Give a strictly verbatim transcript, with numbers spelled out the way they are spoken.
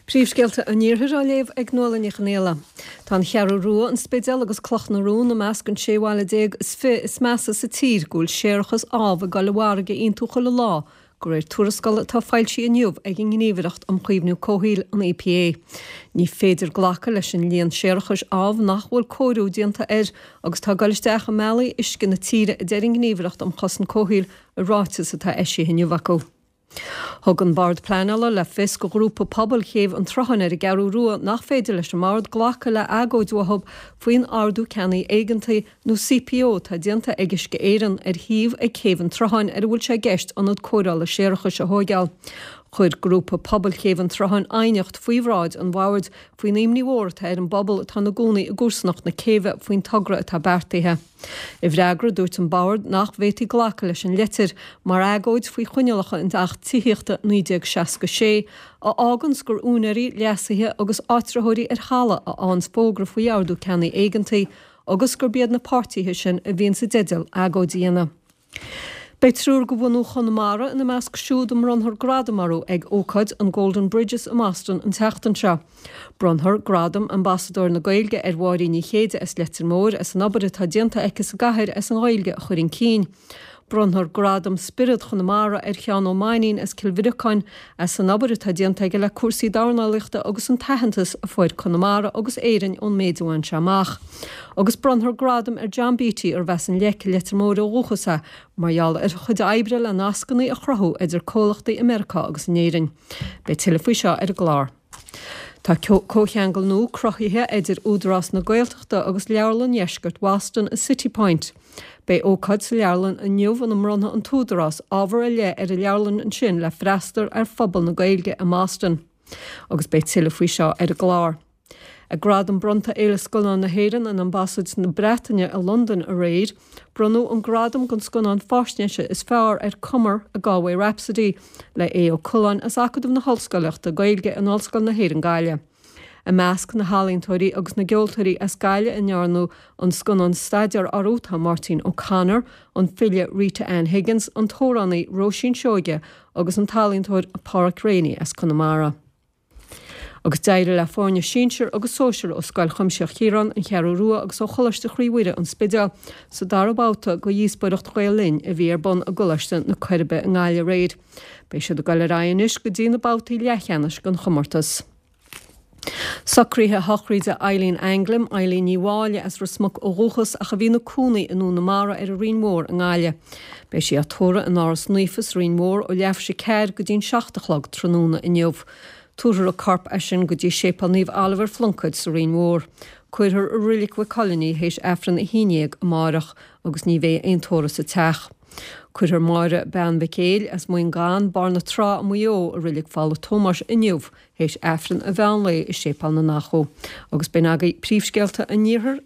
Príomhscéalta an Iarthair á léamh ag Nuala Ní Chonghaile. Tá an Cheathrú Rua, an Spidéal agus Cloch na Rón i measc an sé bhaile déag is fiche is measa sa tír go bhfuil séarachas amh ag dul i bhfarraige iontu chuile lá, de réir tuarascála atá foilsithe inniu ag an nGníomhaireacht um Chaomhnú Comhshaoil, an EPA. Ní féidir glacadh leis an líon séarachais amh nach bhfuil cóiriú déanta air agus tá ag dul isteach i mbealaí uisce na tíre, a deir an Ghníomhaireacht um Chosaint Comhshaoil i ráiteas atá eisithe inniu acu. Thug an Bord Pleanála le fios go ghrúpa pobail Chéibh an tSrutháin ar an gCeathrú Rua nach féidir leis an mbord glacadh le agóid uathu faoin Ordú Ceannaigh Éigeantaigh nó CPO atá déanta ag Uisce Éireann ar shuíomh ag Céibh an tSrutháin ar a bhfuil sé i gceist ionad cóireála séarachais a thóigeáil. Chuir grúpa pobail Chéibh an tSrutháin aighneacht faoi bhráid an bhoird faoin imní mhór atá ar an bpobal atá ina gcónaí i gcomharsanacht na céibhe faoin togra atá beartaithe. I bhfreagra, dúirt an bord nach bhféadfaí glacadh leis an litir mar agóid faoi choinníollacha an Acht Tithíochta naoi déag seasca sé, a fháganns gur úinéirí, léasaithe agus áitritheoirí ar thalamh a fhaigheanns fógra faoi ordú ceannaigh éigeantaigh agus gurb iad na páirtithe sin a bhíonn i dteideal agóid a dhéanamh. Beidh triúr de bhunú Chonamara ina measc siúd a mbronnfar gradam orthu ag ócáid an Golden Bridges i mBoston an tseachtain seo. Bronnfar gradam Ambasadóir na Gaeilge ar Mháirín Ní Chéide as Leitir Móir as an obair atá déanta aici sa gcathair as an Ghaeilge a chur chun cinn. Bronnfar gradam Spiorad Chonamara ar Sheán Ó Mainnín as Cill Bhriocáin as an obair atá déanta aige le cúrsaí dornálaíochta agus an t-aitheantas a fuair Conamara agus Éirinn ón méid a bhain sé amach. Agus bronnfar gradam ar John Beatty arb as an Leic Leitir Móir ó dhúchas é mar gheall ar a chuid oibre le nascanna a chruthú idir comhlachtaí i Meiriceá agus in Éirinn. Beidh tuilleadh faoi seo ar an gclár. Tá comhcheangal nua cruthaithe idir Údarás na Gaeltachta agus Leabharlann Dheisceart Boston i City Point. Beidh ócáid sa leabharlann inniu ina mbronnfaidh an tÚdarás ábhar ar leith ar an leabharlann ansin le freastal ar phobal na Gaeilge i mBoston. Agus beidh tuilleadh faoi seo ar an gclár. Ag gradam bronnta Fhéile Scannán na hÉireann in Ambasáid na Breataine i Londain aréir, bronnadh an gradam don scannán faisnéise is fearr ar Cumar a Galway Rhapsody le Aodh Ó Coileáin as Acadamh na hOllscoileachta Gaeilge in Ollscoil na hÉireann Gaillimh. I measc na healaíontóirí agus na gceoltóirí as Gaillimh a ndearnadh an scannán staidéar orthu tá Máirtín O'Connor, an file Rita Ann Higgins, an t-amhránaí Róisín Seoige agus an t-ealaíontóir Páraic Reaney as Conamara. Agus d'éirigh le foirne sinsir agus sóisir ó Scoil Chuimsitheach Chiaráin, An Cheathrú Rua agus ó Choláiste Chroí Mhuire An Spidéal sa dara babhta de dhíospóireacht Ghael Linn a bhí ar bun i gColáiste na Coiribe i nGaillimh aréir. Beidh siad ag dul ar aghaidh anois go dtí na babhtaí leathcheannais den chomórtas. Socruithe sochraide Eileen Anglim, Eileen Ní Mháille as Ros Muc ó dhúchas ach a bhí ina cónaí i nDún na Mara ar an Rinn Mhór i nGaillimh. Beidh sí á tórramh in Áras Naofa sa Rinn Mhór ó leathuair tar éis a ceathair go dtí'n seacht a chlog tráthnóna inniu. Tabharfar a corp as sin go dtí Séipéal Naomh Oliver Phluncaid sa Rinn Mhór. Cuirfear i Reilig Mhaigh Cuilinn í théis Aifreann a haon déag amárach agus ní bheidh aon tórramh sa teach. Cuirfear Máire Bean Mhic Éil as Muin Gann, Barr na Trá i Maigh Eo i Reilig Phála Tómáis inniu théis Aifreann an mheán lae i Séipéal na nAchadh. Agus b'in agaibh príomhscéalta an Iarthair.